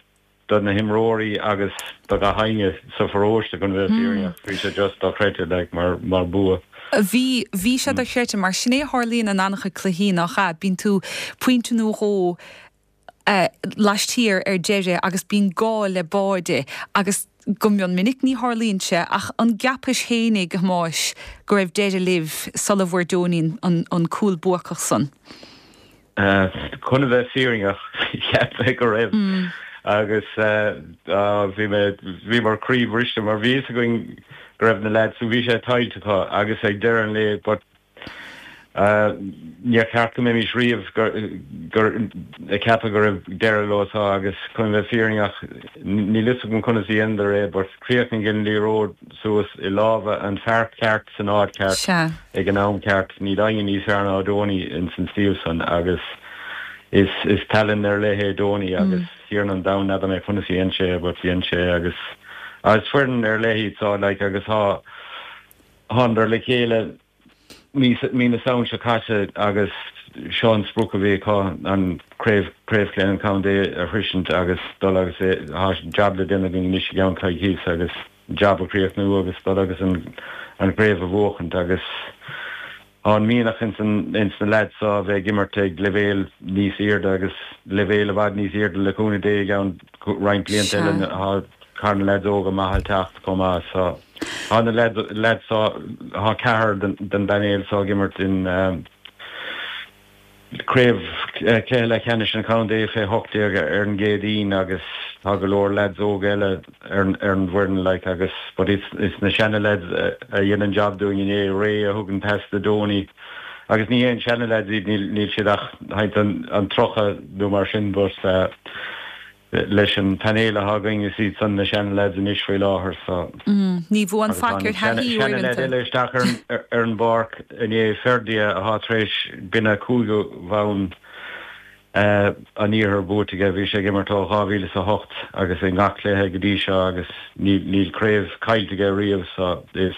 do na himreoirí agus do gach éinne sa pharóiste chun bheith fírinneach. Bhí sé just dochreidte like mar mar bua. Bhí, bhí sé dochreidte mar sin é a tharlaíonn in an-chuid cluichí nach ea? Bíonn tú pointe nó dhó laistiar ar deireadh agus bíonn gá le báide agus go mion minic ní tharlaíonn sé ach an gceapais fhéinig, a Thomáis, go raibh deireadh libh sula bhfuair Donie an an cúl buacach san? Chun a bheith fírinneach, cheap mé go raibh agus bhí mé, bhíomar croíbhriste mar bhí fhios againn go raibh na lads, bhí sé tuillte acu agus ag deireadh an lae but níor cheart go mbeimis riamh gur ag ceapadh go raibh deireadh leo seo agus chun a bheith fírinneach níl fhios agam conas a dheineadar é but chríochnaigh an liathróid suas i lámha an fear ceart san áit ceart ag an am ceart. Níl éinne níos fearr ná Donie ins an suíomh san agus is is tallann ar leith é Donie agus Thiarna an domhain n'fheadar mé conas a dhein sé é but dhein sé é agus is foireann ar leith iad so like agus thá thánadar le chéile mí na Samhna seo caite agus seo an sprioc a bhí acu, an craobh, craobh an chontae a shroisint agus dul agus tá jab le déanamh againn anois i gceann coicíos agus jab a chríochnú agus dul agus an an chraobh a bhuachaint agus tá an mianach ins an ins na leaids seo a bheith ag imirt ag leibhéal níos airde agus leibhéal i bhfad níos airde le cúnamh Dé i gceann roinnt blianta eile tá na leaids óga maithe ag teacht chomh maith so. Tá na leaids so, tá ceathrar den bpainéal so ag imirt in craobh cluiche leathcheannais an chontae fé 18 ar an gCéadaoin agus tá go leor leaids óga eile ar an bhfoireann like agus but is na seana leaids a dhein an job dúinn inné, Ray a thug an pas do Donie agus ní haon seana leaids iad, níl siad ach thart an 30 nó mar sin but leis an painéal atá againn is iad san na seana leaids anois faoi láthair so. Ní bhuann faic ar thaithí uaireanta. Seana leaid eile isteach ar an bpáirc inné, Ferdia atá tar éis b'in a cúigiú bhonn an iarthair buaite aige. Bhí sé ag imirt ó 2008 agus i ngach cluiche go dtí seo agus níl craobh caillte aige riamh so is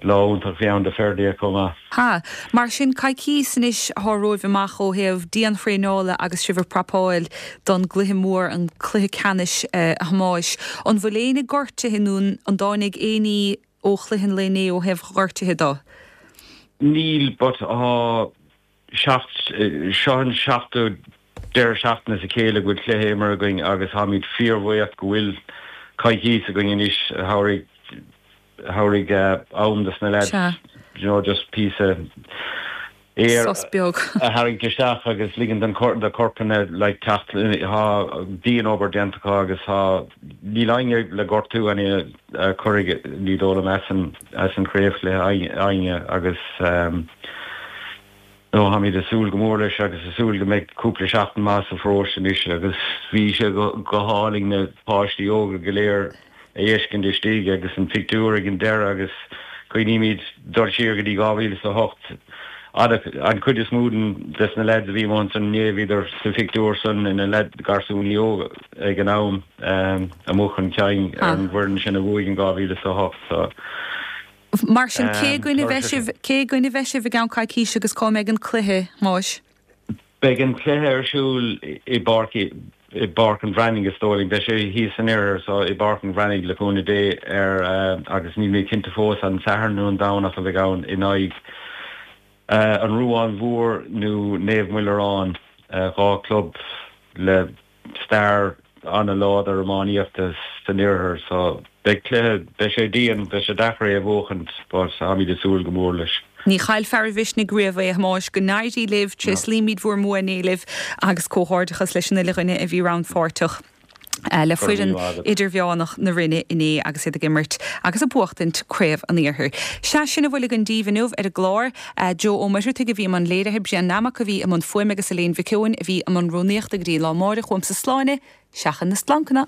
lá iontach a bhí ann do Ferdia chomh maith. Ha. Mar sin, coicís anois atá romhaibh amach ó thaobh dianthraenála agus sibh ag prapáil don gcluiche mór, an cluiche ceannais, a Thomáis. An bhfuil éinne gortaithe nó an dtáinig aon ní ó chluiche an lae inné ó thaobh gortuithe de? Níl, but tá seo an seachtú deireadh seachtaine as a chéile go bhfuil cluiche imeartha againn agus táimid fíorbhuíoch go bhfuil coicís againn anois a thabharfaidh thabharfaidh am dos na leaids you know just píosa aer Sos beag. a tharraingt isteach agus ligean don do corpanna like teacht tá dian-obair déanta acu agus tá níl éinne le gortú éinne a chuirfidh ní dóigh liom as an as an chraobhchluiche éinne agus no táimid ag súil go mór leis agus ag súil go mbeidh cúpla seachtain maith sa pharóiste anois agus bhí sé go hálainn na páistí óga go léir a fheiscint istigh agus an pictiúr ag an deireadh agus cuimhnímid dul siar go dtí 2008 an chuid is mó des na leaids a bhí amuigh ansan inné bhíodar sa phictiúr san ina leaid garsúnaí óga ag an am amuigh chun cinn ar an bhfoireann sin a bhuaigh in 2008 so Mar sin, cé i gcoinne a bheidh sibh, cé i gcoinne a bheidh sibh i gceann coicíse agus cá mbeidh an cluiche, Thomáis? Beidh an cluiche ar siúl i bPáirc i bPáirc an Bhreathnaigh is dóigh liom. Beidh sé thíos san oirthear so i bPáirc an Bhreathnaigh le cúnamh Dé ar agus níl mé cinnte fós an Satharn nó an Domhnach a bheidh ann in aghaidh an Ruán Mhór nó Naomh Muillearán, 2 club le stair an-láidir iománaíochta san iarthar so beidh cluiche, beidh sé dian, beidh sé deacair é a bhuachaint but táimid ag súil go mór leis. Ní chaill fear an mhisnigh riamh é, a Thomáis. Go n-éirí libh, tréaslaímid bhur mbua inné libh agus comhghairdeachas leis an uile dhuine a bhí rannpháirteach le foireann idirmheánach na Rinne inné agus iad ag imirt agus ag buachtaint Craobh an Iarthair. Sea, sin a bhfuil againn daoibh inniu ar an gclár. Joe Ó Muircheartaigh a bhí i mbun léirithe, Brian Nammock a bhí i mbun fuaime agus Elaine Mhic Eoin a bhí i mbun rúnaíochta go dtí an lá amáireach uaimse Sláine, seachain na splancanna!